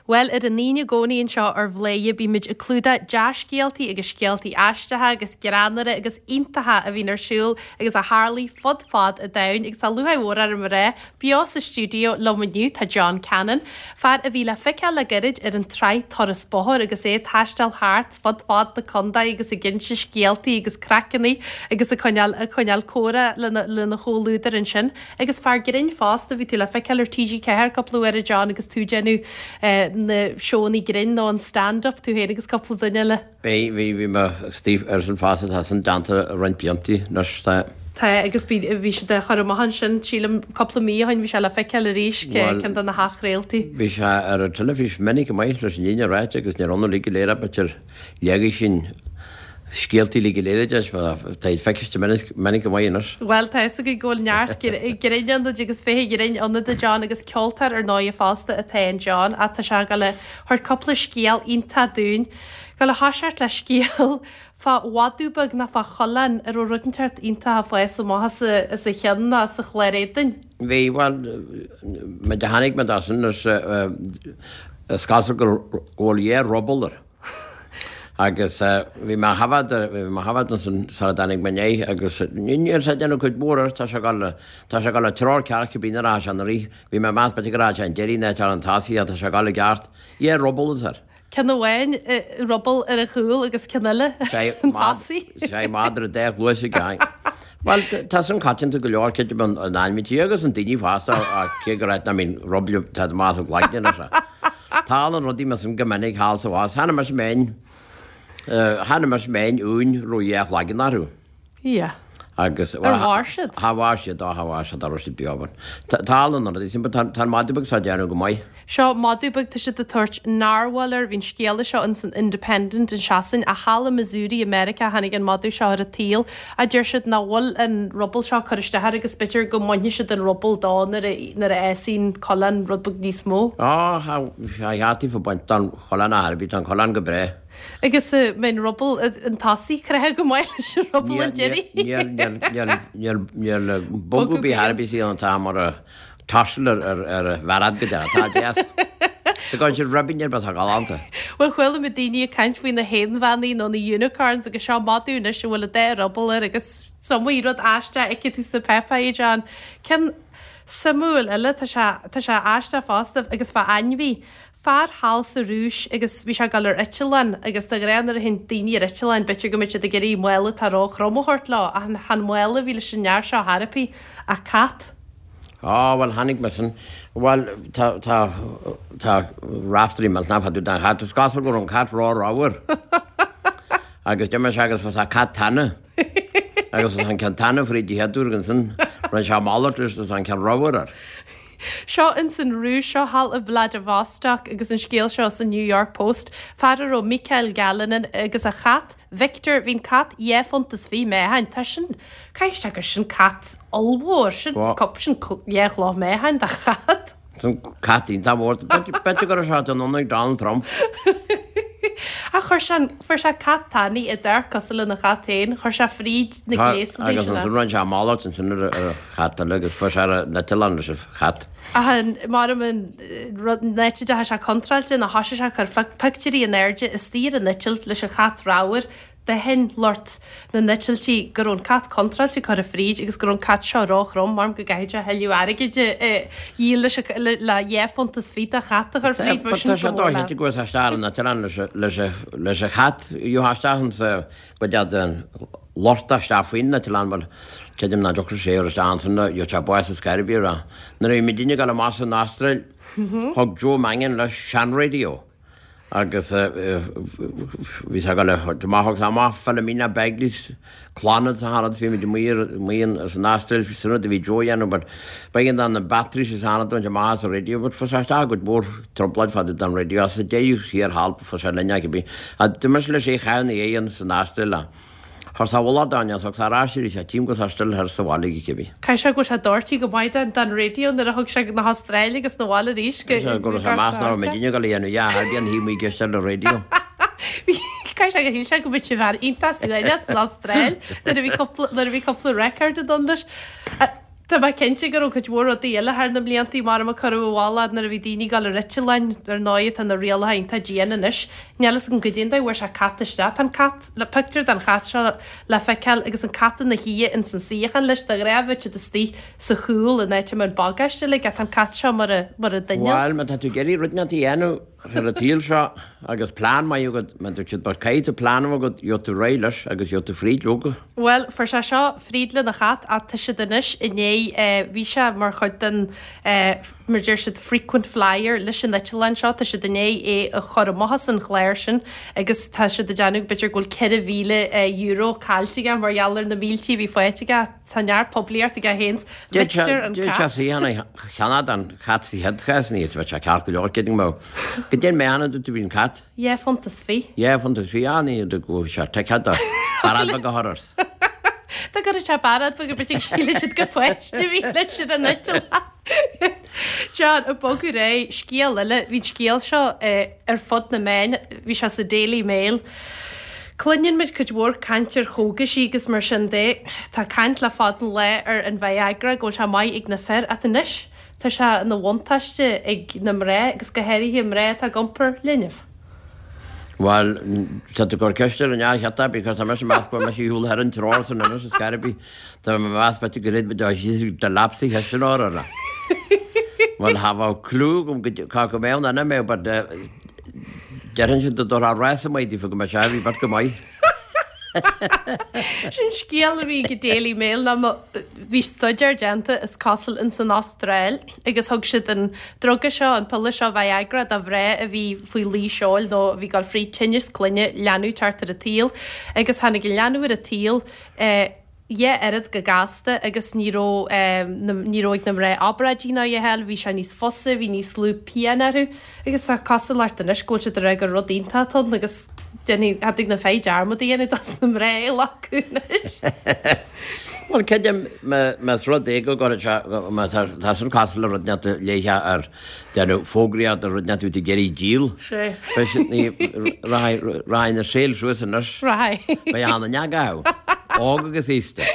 Bhuel, ar an Aoine i gcónaí anseo ar Bhladhaire bímid ag clúdach dea-scéaltaí agus scéaltaí aisteacha agus greannmhara agus iontacha a bhíonn ar siúl agus a tharlaigh fud fad an domhain agus tá lúcháir mhór orm a rá, beo sa stiúideo liom inniu tá John Cannon, fear a bhí le feiceáil le gairid ar an tsraith Turas Bóthair agus é ag taisteal thart fud fad na contae agus ag inse scéaltaí agus craiceanna agus ag coinneáil ag coinneáil comhrá lena lena chomhluadar ansin. Agus fear grinn fosta, bhí tú le feiceáil ar TG4 cúpla uair a John agus tú ag déanamh na seónna grinn nó an stand up, tú féin agus cúpla duine eile. Bhí, bhí, bhí mé istigh ar sin fosta, tá sin déanta roinnt blianta anois, tá. Tá, agus bhí, bhí siad á chur amach ansin, sílim, cúpla mí ó shin, bhí sé le feiceáil arís, ceann de na hathchraoltaí. Bhí sé ar an teilifís minic go maith leis an fhírinne a ráit agus níor ionadh uilig go léir b'fhéidir leagfaidh sin scéaltaí uilig go léir a deis mar tá iad feiciste minic go maith anois. Bhuel, tá fhios againn go bhfuil neart grinn ionat agus féithe grinn ionat a John agus ceoltóir ar ndóighe fosta atá in John ach tá sé ag dul a thabhairt cúpla scéal iontach dúinn. Gabháil a thoiseacht le scéal fá mhadadh beag nó fá choileán a raibh rud inteacht iontach ag fás amach as a cheann nó as a chlár éadain. Bhí, bhuel, muid a tháinig muid as sin is is cosúil go bhfuil dhá ruball air. Agus bhí mé á thaifead, bhí mé á thaifead ansin sara dtáinig mé inné agus níl sé ag déanamh cuid mhór air, tá sé ag dul, tá sé ag dul an treo ceart cibé nuair a rachaidh sé an rith. Bhí mé ag meas b'fhéidir go rachaidh sé an deiridh ná ar an tosaigh ach tá sé ag dul i gceart. Dhá ruball atá air. Ceann amháin ruball ar a chúl agus ceann eile an tosaigh. Sé madra dá chluais aige aye. Bhuel, tá san coitianta go leor, creidim in ainmhithe agus in daoine fosta ach cé go raibh, I mean, ruball, tá amach as a gcloigne anois. Tarlaíonn rudaí mar sin go minic thall sa bhás. Chonaic mise m'fhéin, chonaic mise m'fhéin uain a raibh dhá chloigeann orthu. Yeah. Agus. Ar mhair siad? Cha mhair siad, á cha mhair siad, cha raibh siad beo. But tarlaíonn rudaí sin, but tá an madadh beag seo ag déanamh go maith. Seo madadh beag, tá siad ag tabhairt Narwhal air, bhí an scéala seo ins an Independent in Sasain, ach thall i Missouri i Meiriceá tháinig an madadh seo ar an tsaol. Ach deir siad nach bhfuil an ruball seo ag cur isteach air agus b'fhéidir go mbainfidh siad an ruball dó nuair a nuair a fhásfaidh an coileán rud beag níos mó. Á, tá cheart daofa baint don choileán ar chor ar bith, tá an coileán go breá. Agus an mbeidh an ruball an tosaigh craitheadh go maith leis an ruball an deiridh. Níl, níl, níl, níl, níl bogadh ar bith ar bith ann atá mar a Tarsal ar a bhfearad go deireadh. Tá deas. Tá gan siad ribín ar bith atá galánta. Bhuel, chuala mé daoine ag caint faoi na haonbheannaí nó na unicorns agus seo madadh anois a bhfuil an dá ruball air agus is iomaí rud aisteach a fheicfidh tú sna páipéirí, John. Ceann suimiúil eile, tá sé, tá sé aisteach fosta agus fá ainmhí. Fear thall sa Rúis agus bhí sé ag dul ar eitleán agus de ghnáth nuair a théann daoine ar eitleán b'fhéidir go mbeidh siad ag iarraidh mála atá ró-throm a thabhairt leo ach chan mála a bhí leis an fhear seo ar chor ar bith ach cat. Á, bhuel, chonaic mé sin. Bhuel, tá, tá, tá Raiftearaí millteanach fá dtaobh den chat. Is cosúil go raibh an cat ró-ramhar. Agus d'imigh sé agus fuair sé cat tana. Agus fuair sé an ceann tana fríd an chéad uair agus ansin rinne sé malairt leis agus an ceann ramhar air. Seo ins an Rúis, seo thall i Vladivostok agus an scéal seo sa New York Post. Fear a raibh Mikhail Galinin agus a chat, Victor, bhí an cat dhá phunt is fiche meáchain, tá sin, caithfidh sé gur sin cat ollmhór, sin cup, sin dhá chloch meáchain de chat. Sin cat iontach mór. B'fhéidir go raibh sé in ionad Donald Trump. Ach chuir sé, fuair sé cat tanaí a d'amharc cosúil lena chat féin, chuir sé fríd na gléasanna Agus sin é. ansin rinne sé malairt ansin ar an chat eile agus fuair sé ar an eitleán leis an chat. Ach an, maram an rud, an áit a dteachaigh sé contráilte ná thoisigh sé ag cur pictiúirí in airde istigh ar an eitilt leis an chat ramhar, D'aithin lucht na n-eitiltí go raibh an cat contráilte curtha fríd agus go raibh an cat seo róthrom, maram go gcaithfidh sé thuilleadh airgid a dhíol leis an le dhá phunt is fiche de chat a chur fríd, bheadh Tá sin sé go mór dóichte le. go bhfuil sé isteach ar an eitleán leis an chat, gheofá isteach insa gcuid den lorta isteach faoin eitleán bhuel creidim nach dtiocfadh sé ar isteach ansin gheobhadh sé bás ar scor ar bith. Nuair a bhí muidinne ag dul amach san Astráil thug Joe Mangan leis seanraidió. agus bhí sé ag dul amach agus amach Philomena Begley's Clannad sa Charad bhí muid amuigh amuigh san Astráil sin rud a bhí Joe a dhéanamh but b'éigean dó na batteries is anad a bhaint amach as an radio but fuair sé isteach i gcuid mhór trioblóid fá dtaobh den radio as sa deireadh thiar thall fuair sé linn é cibé. D'imigh leis é a chaitheamh ina dhiaidh san Astráil a. Chuir sé a mhullach dá thug sé ar ais arís é tím go raibh sé still thoir sa bhaile aige cibé. Caithfidh sé go bhfuil sé doirtí go maith den den raidió nuair a thug sé na hAstráile agus na bhaile arís go Go raibh sé meas nach raibh muidinne ag dul a dhéanamh a dhath ar bith an thaobh amuigh ag éisteacht le raidió. Caithfidh sé gur shíl sé go mbeadh sé fear iontach suaimhneach san Astráil nuair a bhí cúpla nuair a bhí cúpla record ag dul leis. Tá mé cinnte go raibh cuid mhór rudaí eile thar na mbliantaí mar a cuireadh i bhfolach nuair a bhí daoine ag dul ar eitleáin, ar ndóigh tá na rialacha iontach dian anois. Níl fhios agam goidé an dóigh a bhfuair sé cat isteach. Tá an cat, le pictiúr den chat seo le feiceáil agus an cat ina shuí ins an suíochán leis, de ghnáth bheadh siad istigh sa chúl in áit a mbeadh an bagáiste uilig ach tá an cat seo mar a, mar a duine. Bhuel, má tá tú ag iarraidh rud inteacht a dhéanamh ar an tsaol seo agus plean maith agat, má tá siad, but caithfidh tú plean a bheith agat, gheobhaidh tú ar aghaidh leis agus gheobhaidh tú fríd leoga. Bhuel, fuair sé seo fríd lena chat ach tá siad anois i ndiaidh, bhí sé mar chuid den, mar deir siad, frequent flyer leis an eitleán seo, tá siad i ndiaidh é a chur amach as an chlár sin agus tá siad ag déanamh b'fhéidir go bhfuil €4,000 caillte aige mar gheall ar na míltí a bhí faighte aige. Tá neart poiblíocht aige féin, Victor an cat. D'fhéadfadh sé suíochán a cheannach don chat sa chéad chás níos bheadh sé ceart go leor, creidim go mbeadh, go dtéann mé ann dúirt tú bhí an cat. Dhá phunt is fi. Dhá phunt is fi, ah ní do go bhfuil sé ticéad do bairéad beag a chur ort. Dá gcuirfeadh sé bairéad beag ar bith síleann siad gur páiste a bhí leis ar an eitleán. John, ag bogadh ar aghaidh, scéal eile, bhí an scéal seo ar fud na meáin, bhí sé sa Daily Mail. Cluineann muid cuid mhór caint ar chógaisí agus mar sin de. Tá caint le fada an lá ar an Viagra, go bhfuil sé maith ag na fir, ach anois Tá sé ina bhuntáiste ag na mná agus go háirithe mná atá ag iompar linbh. Bhuel, tá tú ag cur ceist ar an fhear cheart because tá mise ag meas go bhfuil mise ar shiúl thar an treoir san anois is gar bith. Tá mé ag meas b'fhéidir go raibh muid á síos do lapsa cheist an óir orthu. Bhuel, cha bheadh clue agam go cá go mbeadh an mé but déarfainn siad do dtabharfá rása maith daofa go mbeadh sé a bhí beirt go maith. Sin scéal a bhí ag Daily Mail ná bhí staidéar déanta is cosúil ins an Astráil agus thug siad an druga seo, an piolla seo Viagra do mhná a bhí faoi luí seoil nó a bhí ag dul fríd tinneas clainne, leanbh teacht ar an tsaol agus tháinig an leanbh ar an tsaol dhá oiread chomh gasta agus ní raibh ní raibh ag na mná obráidí ná a dhath eile, bhí sé níos fusa, bhí níos lú pian orthu agus tá cosúlacht anois go bhfuil siad ag rá gur rud iontach atá ann agus déanfaidh, cha dtig na fir dearmad a dhéanamh dos na mná a ghlacadh anois. Bhuel, creidim más rud é go gcuirfidh sé, má tá tá sin cosúil le rud inteacht a léifeá ar déanamh fógraíocht ar rud inteacht a bhí tú ag iarraidh díol. Sea. Beidh siad ní, rachaidh, rachaidh na sales suas anois. Rachaidh. Beidh ana neag ann. Óg agus aosta.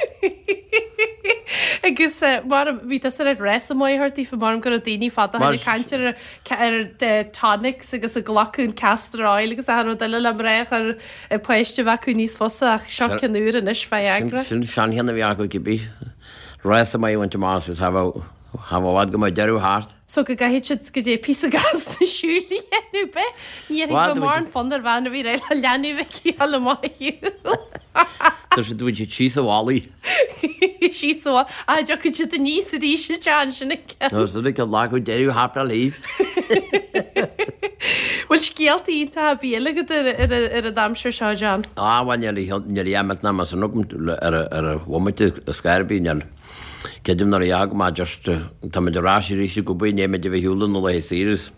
Agus mar bhí tusa ar rás maith a thabhairt daofa mar go raibh daoine fada ó shin ag caint ar ar tonics agus ag glacadh an castor oil agus achan rud eile le mná a chur páiste a bheith acu níos fusa ach seo ceann úr anois Viagra. Sin seancheann a bhí acu cibé. Rás maith a bhaint amach as cha bheadh i bhfad go mbeadh deireadh thart. So go gcaithfidh siad go dté píosa gasta siúil a dhéanamh bith. Ní dhéarfainn go mbeadh mórán fonn ar bhean a bhí réidh le leanbh aici a dhul amach ar shiúl. Tá siad bhfuil siad síos a bhallaí. Síos a bhallaí. Ah, dtiocfaidh siad aníos arís a John, sin an ceann. No, sin an ceann lá go deireadh thapáil thíos. Bhfuil scéalta iontacha ar bith eile agat ar an aimsir seo, John? Ah, bhuel, níl a fhios ná más ann agam ar an bhomaite is gaire ar bith, níl. Creidim nuair a dheachaigh mé just, tá muid ar ais arís ag obair, ní muid a bheith shiúl na laethe saoire is.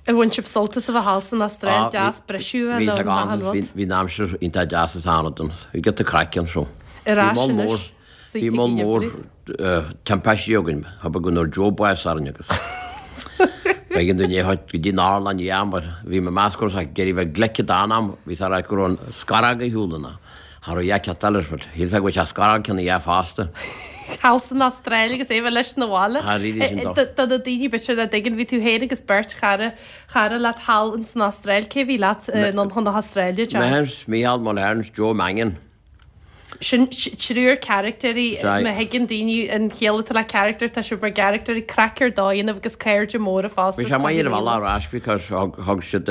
Ar bhain sibh sult as a bheith thall san Astráil, deas briseadh a bheith ann achan rud. Bhí an aimsir iontach deas is an-rud ann. Bhí giota craic ann so. Ar ais anois sa Bhí moll mór timpistí againn, cha bith go ndúirt Joe bás orainn agus b'éigean dúinn é a thabhairt go dtí an otharlann i am, bhí mé meas go raibh sé ag iarraidh bheith glic don am, bhí sé ag rá go raibh an scarag ar shiúl ina. Cha raibh a dhath eile, but shíl sé go bhfuil sé scarag ceann a dhath fosta. Thall san Astráil agus é bheith leis na bhaile. Thar oíche sin dó. Do na daoine b'fhéidir nach dtuigeann, bhí tú féin agus beirt chara, chara leat thall ins an Astráil. Cé bhí leat anonn chun na hAstráile, John? Mise, Mícheál Mulhern, Joe Mangan. Sin triúr caractéirí, má thuigeann daoine an chiall atá le character, tá sibh mar gcaractéirí, craic ar dóigh ionaibh agus cairde móra fosta. Bhí sé maith ar an bhealach ar ais because thug siad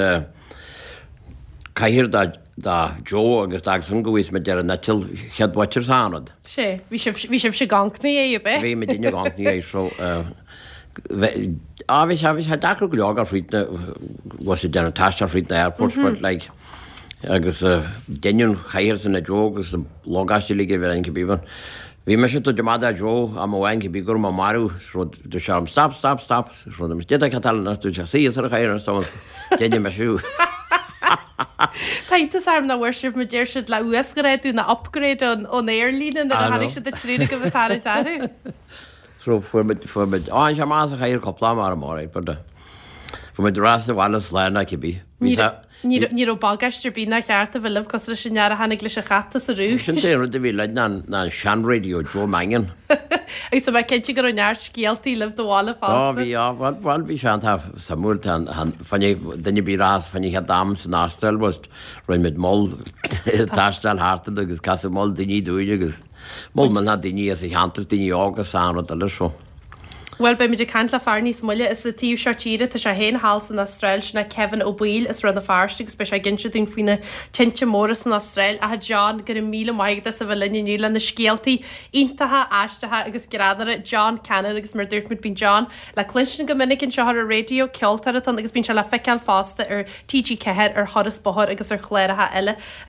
cathaoir do do Joe agus d'fhág san go bhfios muid ar an eitilt chéad bhoitir sa ionad. Sé, bhí sibh, bhí sibhse ag amharc 'na dhiaidh, ab é? Bhí muid ag amharc 'na dhiaidh so bhí, á bhí sé, bhí sé deacair go leor gur fríd na, was it déanamh taisteal fríd na airports but like agus deineadh an chathaoir san do Joe agus an lógáiste uilig a bhí ann cibé but bhí mise ag tabhairt amach do Joe am amháin cibé go raibh mé marbh so dúirt sé orm stop, stop, stop. Tá iontas orm nach bhfuair sibh mar deir siad le uasghrádú nó upgrade ón aerlíne nuair a tháinig siad an triúr agaibh ag tarraingt orthu. So fuair muid, fuair muid, á, sé amach as an chathaoir cúpla am orm, alright, but. Bhí muid ar ais sa bhaile slán ná cibé. Bhí sé. Ní raibh bagáiste ar bith nár cheart a bheith libh cosúil leis an fhear a tháinig leis an chat as an Rúis. Sin é an rud a bhí linn ná an seanraidió Joe Mannion. Agus tá mé cinnte go raibh neart scéaltaí libh do bhaile fosta. Ó bhí, á, bhuel, bhuel bhí sé iontach suimiúil, tá an, fá choinne duine ar bith a rachas fá choinne chéad am san Astráil was rinne muid moll taisteal thart agus casadh moll daoine dúinn agus moll millteach daoine as an cheantar, daoine óga is achan rud eile so. Bhuel, beimid ag caint le fear níos moille as an taobh seo tíre, tá sé féin thall san Astráil, sin é Kevin Ó Baoill as Rann na Feirste agus beidh sé ag inse dúinn faoi na tinte móra san Astráil. Ach a John, go raibh míle maith agat as a bheith linn inniu le na scéaltaí iontacha, aisteacha agus greannmhara. John Cannon agus mar a dúirt muid bíonn John le cluinstin go minic anseo ar an raidió, ceoltóir atá ann agus bíonn sé le feiceáil fosta ar TG4 ar Thuras Bóthair agus ar chláracha eile.